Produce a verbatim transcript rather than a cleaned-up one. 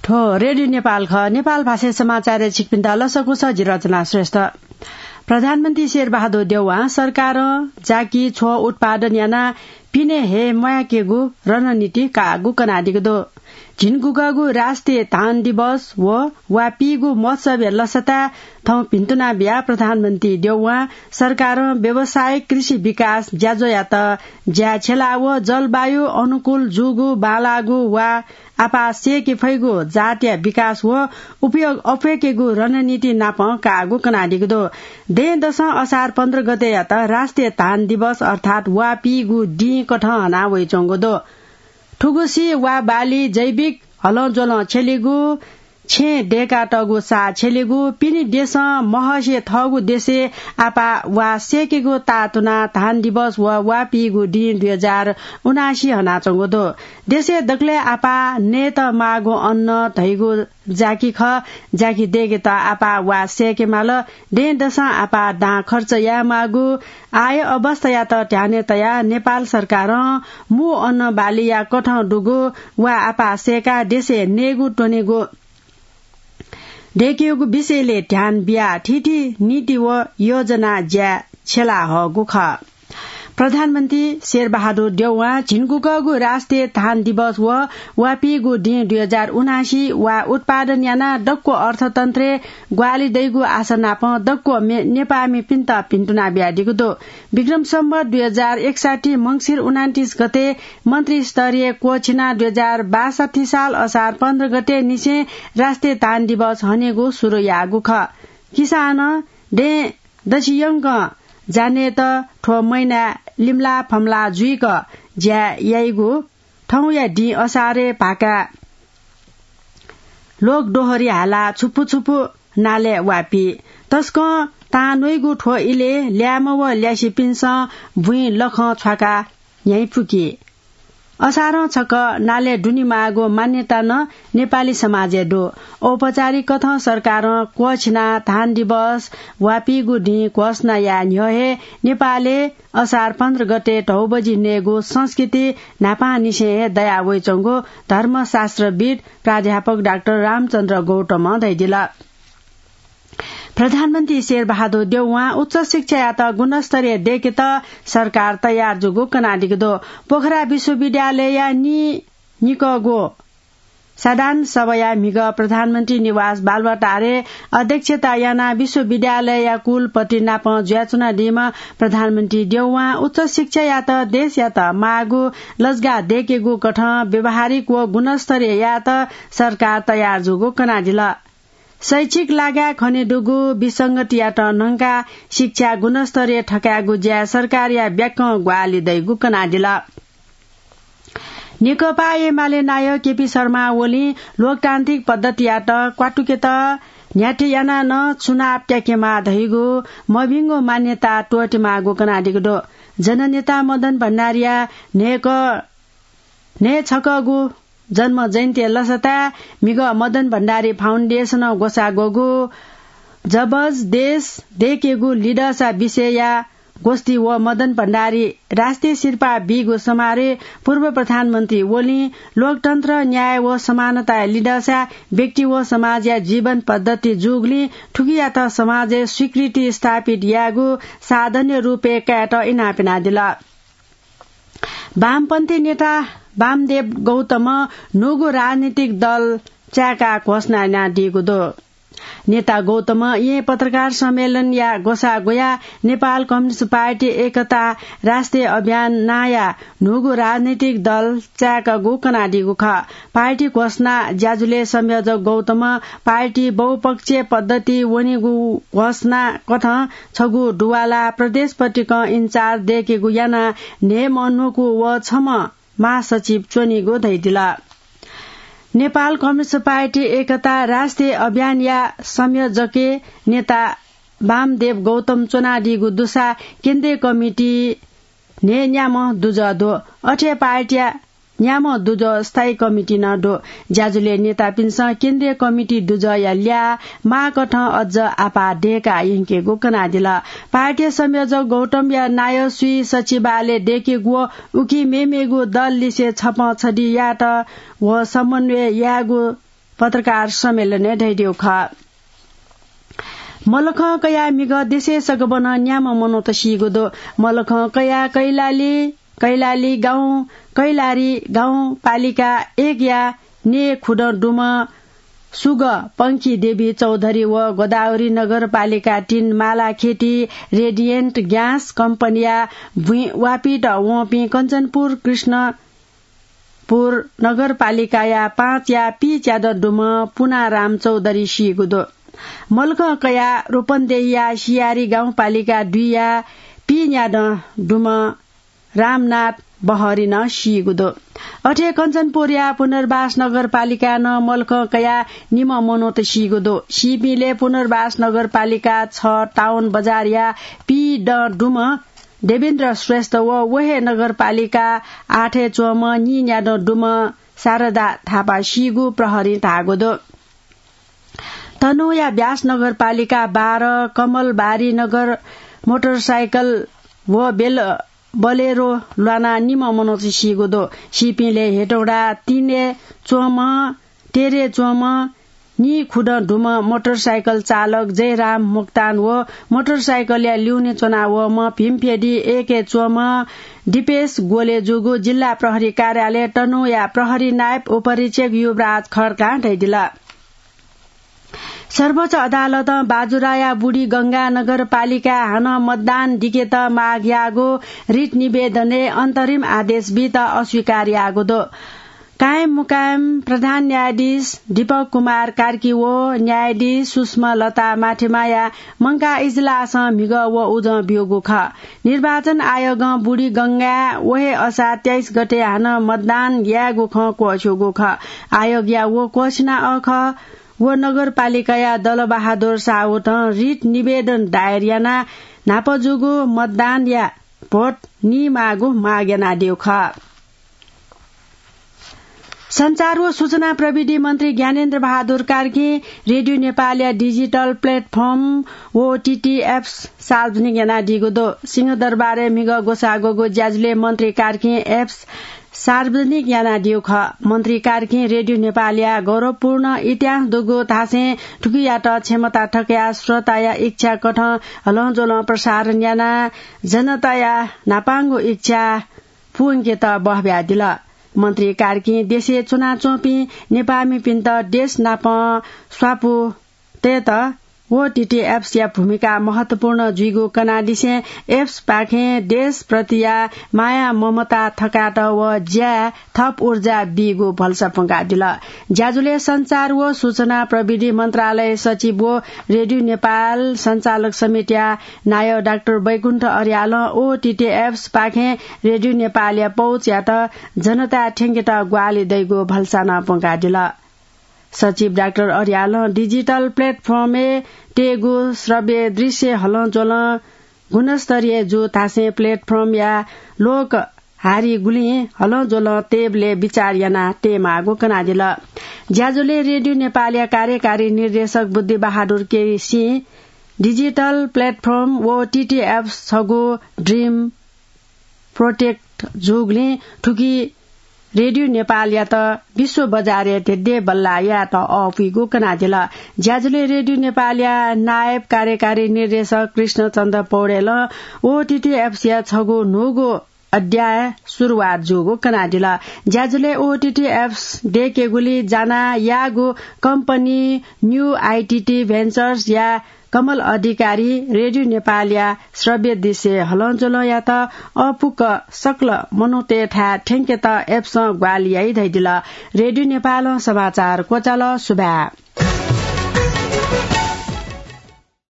थ्व रेडियो नेपाल खः। नेपाल भाषाय् समाचारय् छिकपिन्त लसकुस, जि रचना श्रेष्ठ। प्रधानमन्त्री शेरबहादुर देउवां सरकारं जाकि छ्व उत्पादन यानाः पिने हये म्वायेकेगु रणनीति काःगु कनादीगु दु। झिंगुगःगु राष्ट्रिय धान दिवस व वा पीगु महोत्सवया लसताय् थौं भिन्तुना बियाः प्रधानमन्त्री देउवां सरकारं व्यावसायिक कृषि विकास ज्याझ्वःयात ज्या छ्यला व जलवायु अनुकूल जूगु बांलाःगु वा आपाः सेके फइगु जातया विकास व उपयोग अप्वय्केगु रणनीति नाप काःगु कनादीगु दु। दँय्‌दसं असार पन्ध्र गतेयात राष्ट्रिय धान दिवस अर्थात् वा पीगु दिं कथं हना वइच्वंगु दु। थुगुसी वा बाली जैविक हलंज्वलं छ्यलीगु, छेँय् दय्कातःगु साः छ्यलीगु, पिने देशं महसे थःगु देशय् आपाः वा सेकेगु ताःतुनाः धान दिवस व वा पीगु दिं दुई हजार उनासी हनाच्वंगु दु। देशय् दकलय् आपाः नयेत माःगु अन्न धइगु जाकि खः। जाकि दय्केत आपाः वा सेके माल। दँय्‌दसं आपाः दां खर्च यायेमाःगु आय अवस्थायात ध्यानय् तयाः नेपाल सरकारं मू अन्न बालीया कथं दुगु वा आपाः सेकाः देशय् नयेगु त्वनेगु दय्केगु विषयलय् ध्यान बियाः थीथी नीति व योजना ज्याय् छ्यला हःगु खः। प्रधानमन्त्री शेरबहादुर देउवां झिंगुगःगु राष्ट्रिय धान दिवस व वा पीगु दिं दुई हजार उनासी वा उत्पादन यानाः दक्व अर्थतन्त्रय् ग्वाहालि दइगु आशा नाप दक्व मे-, नेपाःमिपिन्त भिन्तुना बियादीगु दु। विक्रम सम्वत दुई हजार एकसट्ठी मंसिर उनान्तिस गते मन्त्री स्तरीय क्वःछिनाः दुई हजार बासट्ठी साल असार पन्ध्र गते निसें राष्ट्रिय धान दिवस हनेगु सुरु याःगु खः। किसानं दँय् दसियंकं जानेत थ्व महिनाय् लिमलाः फमलाः जुइक ज्या याइगु थौंया दिं असारय् भाकाय् लोक दोहरी हालाः छुपु छुपु नालय् वा पी। तसकं तां न्वइगु थ्व इलय् ल्याय्म्ह व ल्यासेपिन्सं बुँइ लखं छ्वाकाः न्ह्याइपुकी। असारं छकः नालय् दुने माःगु मान्यता नं नेपाली समाजय् दु। औपचारिक कथं सरकारं क्वःछिनाः धान दिवस वा पीगु दिं घोषणा याये न्ह्यः हे नेपालय् असार पन्ध्र गते धौबजि नयेगु संस्कृति न्हापांनिसें हे दया वइच्वंगु धर्मशास्त्रविद् प्राध्यापक डाक्टर रामचन्द्र गौतमं धयादिल। प्रधानमन्त्री शेरबहादुर देउवां उच्च शिक्षायात गुणस्तरीय दय्केत सरकार तयार जूगु कनादीगु दु। पोखरा विश्वविद्यालयया नीनिकःगु साधारण सभाया म्हिगः प्रधानमन्त्री निवास बालुवाटारय् अध्यक्षता यानाः विश्वविद्यालयया कुलपति नाप जुयाच्वनादीम्ह प्रधानमन्त्री देउवां उच्च शिक्षायात देशयात माःगु लजगाः दय्केगु कथं व्यावहारिक व गुणस्तरीय यायेत सरकार तयार जूगु कनादिल। शैक्षिक लागाय् खनेदुगु विसंगतियात न्हंकाः शिक्षा गुणस्तरीय थकायेगु ज्याय् सरकारया ब्याकं ग्वाहालि दइगु कनादिल। नेकपा एमाले नायः केपी शर्मा ओलीं लोकतान्त्रिक पद्धतियात क्वातुकेत न्ह्याथे यानाः नं चुनाव त्याकेमाः धइगु मभिंगु मान्यता त्वःतेमाःगु कनादीगु दु। जननेता मदन भण्डारीया न्हय्क न्हय् छकःगु जन्म जयन्ती लसताय् म्हिगः मदन भण्डारी फाउन्डेसनं ग्वसाः ग्वःगु जबज देश दय्केगु लिधःसा विषयया गोष्ठी व मदन भण्डारी राष्ट्रिय सिरपाः बीगु समारोहय् पूर्व प्रधानमन्त्री ओलीं लोकतन्त्र, न्याय व समानताया लिधःसा व्यक्ति व समाजया जीवन पद्धति जूगुलिं थुकियात समाजय् स्वीकृति स्थापित यायेगु साधनया रूपय् कायेत इनाप यानादिल। वामपन्थी नेता वामदेव गौतमं न्हूगु राजनीतिक दल चाय्काः घोषणा यानादीगु दु। नेता गौतमं येँ पत्रकार सम्मेलनया ग्वसाः ग्वयाः नेपाल कम्युनिस्ट पार्टी एकता राष्ट्रिय अभियान नांया न्हूगु राजनीतिक दल चाय्कागु कनादीगु खः। पार्टी घोषणा ज्याझ्वलय् संयोजक गौतमं पार्टी बहुपक्षीय पद्धति वनीगु घोषणा कथं छगू दुवाला प्रदेश पतिकं इन्चार्ज दय्केगु यानाः न्हय्म्ह न्वकू व छम्ह महासचिव च्वनीगु धयादिल। नेपाल कम्युनिस्ट पार्टी एकता राष्ट्रिय अभियानया संयोजकय् नेता वामदेव गौतम च्वनादीगु दुसा केन्द्रीय कमिटी न्हय्न्याम्ह दुजः दु। अथे पार्टीया न्याम्ह दुजः स्थायी कमिटी नं दु। ज्याझ्वलय् नेतापिन्सं केन्द्रीय कमिटी दुजःया ल्याः माःकथं अझ आपाः दय्काः यंकेगु कनादिल। पार्टी संयोजक गौतमया नायः स्वीय सचिवालय दय्केगु व उकी मेमेगु दल लिसे छपं छधि यायेत व समन्वय यायेगु पत्रकार सम्मेलनय् धयादीगु खः। मलखं कयाः म्हिगः देशय् सकभनं न्याम्ह मनूत सीगु दु। मलखं कयाः कैलाली, कैलाली गाउँ, कैलाली गाउँपालिका एकया नेखुदँ दुम्ह सुगः पंखी देवी चौधरी व गोदावरी नगरपालिका तीन मालाखेटी रेडियन्ट ग्यास कम्पनीया भुइँ वापित वंपिं कञ्चनपुर कृष्णपुर नगरपालिकाया पाँचया पीच्यादँ दुम्ह पुनाराम चौधरी सीगु दु। मलखं कयाः रोपन्देहीया सियारी गाउँपालिका दुईया पीन्यादँ दुम्ह रामनाथ बहरी नं सीगु दु। अथे कञ्चनपुरया पुनर्वास नगरपालिकाय् नं मलखं कयाः निम्ह मनूत सीगु दु। सीपिंलय् पुनर्वास नगरपालिका छ टाउन बजारया पीदँ दुम्ह देवेन्द्र श्रेष्ठ व व हे नगरपालिका आठय् च्वंम्ह नीन्यादँ दुम्ह शारदा थापा सीगु प्रहरीं धाःगु दु। तनहुँया ब्यास नगरपालिका बाह्र कमलबारी नगर मोटरसाइकल व बेल-, बलेरो ल्वानाः निम्ह मनूत सीगु दु। सीपिंलय् हेटौडा तीनय् च्वंम्ह, तेह्रय् च्वंम्ह, नीखुदँ दुम्ह मोटरसाइकल चालक जयराम मोक्तान व मोटरसाइकलया ल्यूने च्वनावःम्ह भीमफेदी एकय् च्वंम्ह दिपेश ग्वले जूगु जिल्ला प्रहरी कार्यालय तनहुँया प्रहरी नायब उपरीक्षक युवराज खड्कां धयादिल। सर्वोच्च अदालतं बाजुराया बुढीगंगा नगरपालिकाय् हानं मतदान दिकेत माग याःगु रिट निवेदनय् अन्तरिम आदेश बीत अस्वीकार याःगु दु। कायम मुकायम प्रधान न्यायाधीश दीपक कुमार कार्की व न्यायाधीश सुषमा लता माथेमाया मंकाः इजलासं म्हिगः व उजं ब्यूगु खः। निर्वाचन आयोगं बुढीगंगाय् व हे असार तेइस गते हानं मतदान यायेगु खँ क्वःछ्यूगु खः। आयोगया व क्वःछिना अःखः व नगरपालिकाया दलबहादुर साहुतं रिट निवेदन दायर यानाः न्हापा जूगु मतदानया भोट नीमाःगु माग यानादीगु खः। सञ्चार व सूचना प्रविधि मन्त्री ज्ञानेन्द्र बहादुर कार्कीं रेडियो नेपालया डिजिटल प्लेटफर्म व ओटीटी एप्स सार्वजनिक यानादीगु दु। सिंहदरबारय् म्हिगः ग्वसाः ग्वःगु ज्याझ्वलय् मन्त्री कार्कीं एप्स सार्वजनिक यानादीगु खः। मन्त्री कार्कीं रेडियो नेपालया गौरवपूर्ण इतिहास दुगु धासें थुकियात क्षमता थकयाः श्रोताया इच्छा कथं हलंज्वलं प्रसारण यानाः जनताया न्हापांगु इच्छा पूवंकेत बहब्यादिल। मन्त्री कार्कीं देशय् च्वनाच्वंपिं नेपाःमिपिन्त देश नापं स्वापू तयेत ओटीटी एप्सया भूमिका महत्वपूर्ण जुइगु कनादिसें एप्सपाखें देशप्रतिया माया ममता थकायेत व ज्याय् थप ऊर्जा बीगु भलसा प्वंकादिल। ज्याझ्वलय् सञ्चार व सूचना प्रविधि मन्त्रालय सचिव व रेडियो नेपाल सञ्चालक समितिया नायः डाक्टर बैकुण्ठ अर्यालं ओटीटी एप्सपाखें रेडियो नेपालया पहुँचयात जनताय् थ्यंकेत ग्वाहालि दइगु भलसा नं प्वंकादिल। सचिव डाक्टर अर्यालं डिजिटल प्लेटफर्मय् तयेगु श्रव्य दृश्य हलंज्वलं गुणस्तरीय जू धासें प्लेटफर्मया लोक हारिगुलिं हलंज्वलं तयेबलय् बिचाः यानाः तयेमाःगु कनादिल। ज्याझ्वलय् रेडियो नेपालया कार्यकारी निर्देशक बुद्धिबहादुर केसीं डिजिटल प्लेटफर्म व ओटीटी एप्स छगू ड्रिम प्रोजेक्ट जूगुलिं थुकी रेडियो नेपालयात विश्व बजारय् धेंधें बल्लाः यायेत अःपुइगु कनादिल। ज्याझ्वलय् रेडियो नेपालया नायब कार्यकारी निर्देशक कृष्णचन्द्र पौडेलं ओटीटी एप्सया छगू न्हूगु अध्याय सुरुवात जूगु कनादिल। ज्याझ्वलय् ओटीटी एप्स दयेकेगुली जानाः याःगु कम्पनी न्यू आइटीटी भेन्चर्सया कमल अधिकारी रेडियो नेपालया श्रव्य दृश्य हलंज्वलंयात अःपुक सकल मनूतय्‌थाय् थ्यंकेत एप्सं ग्वाहालि याइ धयादिल। रेडियो नेपालं समाचार क्वचाल। सुभाय्।